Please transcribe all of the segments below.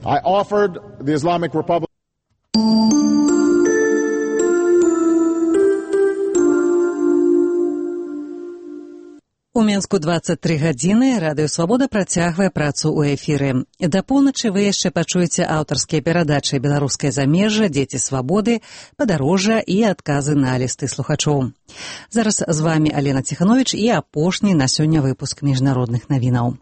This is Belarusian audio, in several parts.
I offered the Islamic Republic У Мінску 23 гадзіны. Радыё Свабода працягвае працу ў эфіры. Да поўначы вы яшчэ пачуеце аўтарскія перадачы «Беларускае замежжа», «Дзеці свабоды», «Падарожжа» і адказы на лісты слухачоў. Зараз з вамі Алена Ціхановіч і апошні на сёння выпуск міжнародных навінаў.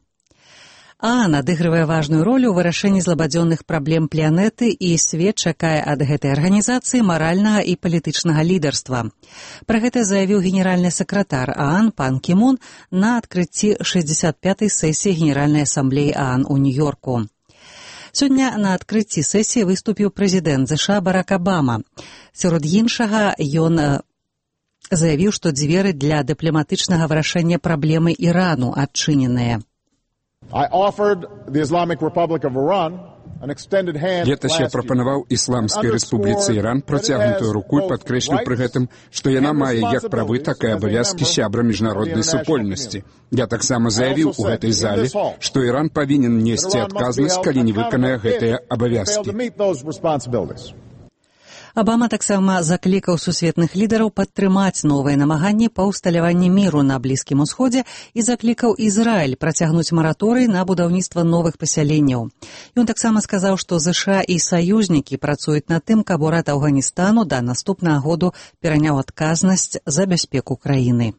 ААН адыгрывае важную ролю ў вырашэнні злабадзённых праблем планеты, і свет чакае ад гэтай арганізацыі маральнага і палітычнага лідарства. Пра гэта заявіў генеральны сакратар ААН пан Кі Мун на адкрыцці 65-й сесіі Генеральнай асамблеі ААН у Нью-Йорку. Сёння на адкрыцці сесіі выступіў прэзідэнт ЗША Барак Абама. Сярод іншага ён заявіў, што дзверы для дыпламатычнага вырашэння праблемы Ірану адчыненыя. Летась я прапанаваў Ісламскай Рэспубліцы Іран працягнутую руку і падкрэсліў пры гэтым, што яна мае як правы, так і абавязкі сябра міжнароднай супольнасці. Я таксама заявіў у гэтай зале, што Іран павінен несці адказнасць, калі не выканае гэтыя абавязкі. Абама таксама заклікаў сусветных лідараў падтрымаць новыя намаганні па ўсталяванні міру на Блізкім Усходзе і заклікаў Ізраіль працягнуць мараторый на будаўніцтва новых пасяленняў. Ён таксама сказаў, што ЗША і саюзнікі працуюць над тым, каб урад Афганістану да наступнага году пераняў адказнасць за бяспеку краіны.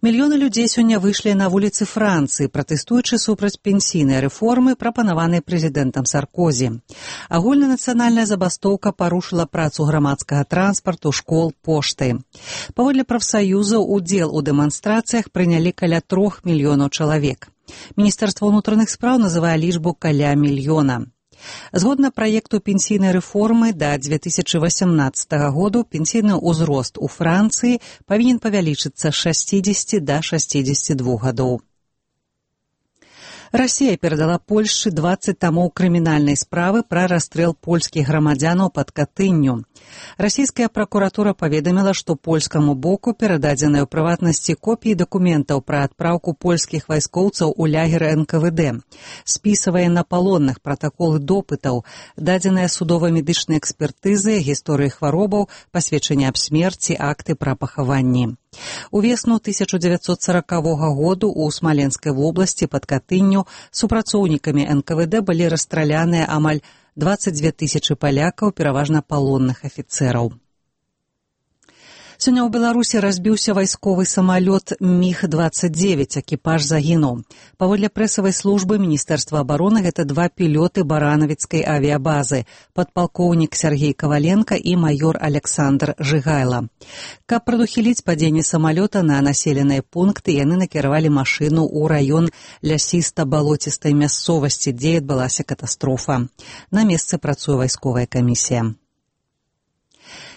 Мільёны людзей сёння выйшлі на вуліцы Францыі, пратэстуючы супраць пенсійнай рэформы, прапанаванай прэзідэнтам Саркозі. Агульнанацыянальная забастоўка парушыла працу грамадскага транспарту, школ, пошты. Паводле прафсаюзаў, удзел у дэманстрацыях прынялі каля 3 мільёнаў чалавек. Міністэрства ўнутраных спраў называе лічбу каля мільёна. Згодна праекту пенсійнай рэформы, да 2018 году пенсійны ўзрост у Францыі павінен павялічыцца з 60 да 62 гадоў. Расія перадала Польшчы 20 тамоў крымінальнай справы пра расстрэл польскіх грамадзянаў пад Катынню. Расійская пракуратура паведаміла, што польскаму боку перададзеныя ў прыватнасці копіі дакументаў пра адпраўку польскіх вайскоўцаў у лагеры НКВД, спісавыя на палонных пратаколы допытаў, дадзеныя судова-медычнай экспертызы, гісторыі хваробаў, пасведчанні аб смерці, акты пра пахаванні. Увесну 1940 году ў Смаленскай вобласці пад Катынню супрацоўнікамі НКВД былі расстраляныя амаль 22 тысячы палякаў, пераважна палонных афіцэраў. Сёння ў Беларусі разбіўся вайсковы самалёт МіГ-29, экіпаж загінуў. Паводле прэсавай службы Міністэрства абароны гэта 2 пілоты баранавіцкай авіябазы, падпалкоўнік Сергей Каваленка і маёр Александр Жыгайла. Каб прадухіліць падзенне самалёта на населеныя пункты, яны накіравалі машыну ў раён лясіста-балоцістай мясцовасці, дзе адбылася катастрофа. На месцы працуе вайсковая камісія.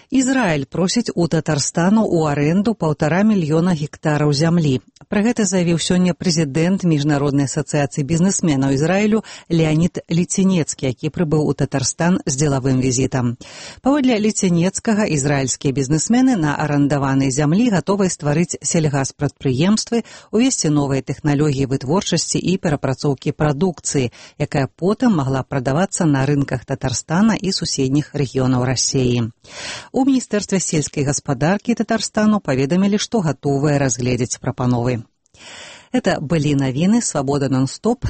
Ізраіль просіць у Татарстану ў арэнду 1,5 мільёна гектараў зямлі. Пра гэта заявіў сёння прэзідэнт Міжнароднай асацыяцыі бізнесменаў Ізраілю Леанід Ліцінецкі, які прыбыў у Татарстан з дзелавым візітам. Паводле Ліцінецкага, ізраільскія бізнесмены на арандаванай зямлі гатовыя стварыць сельгаспрадпрыемствы, увесці новыя тэхналогіі вытворчасці і перапрацоўкі прадукцыі, якая потым магла прадавацца на рынках Татарстана і суседніх рэгіёнаў Расіі. У Міністэрстве сельскай гаспадаркі Татарстану паведамілі, што гатовыя разгледзець прапановы. Это былі навіны «Свабода нон-стоп».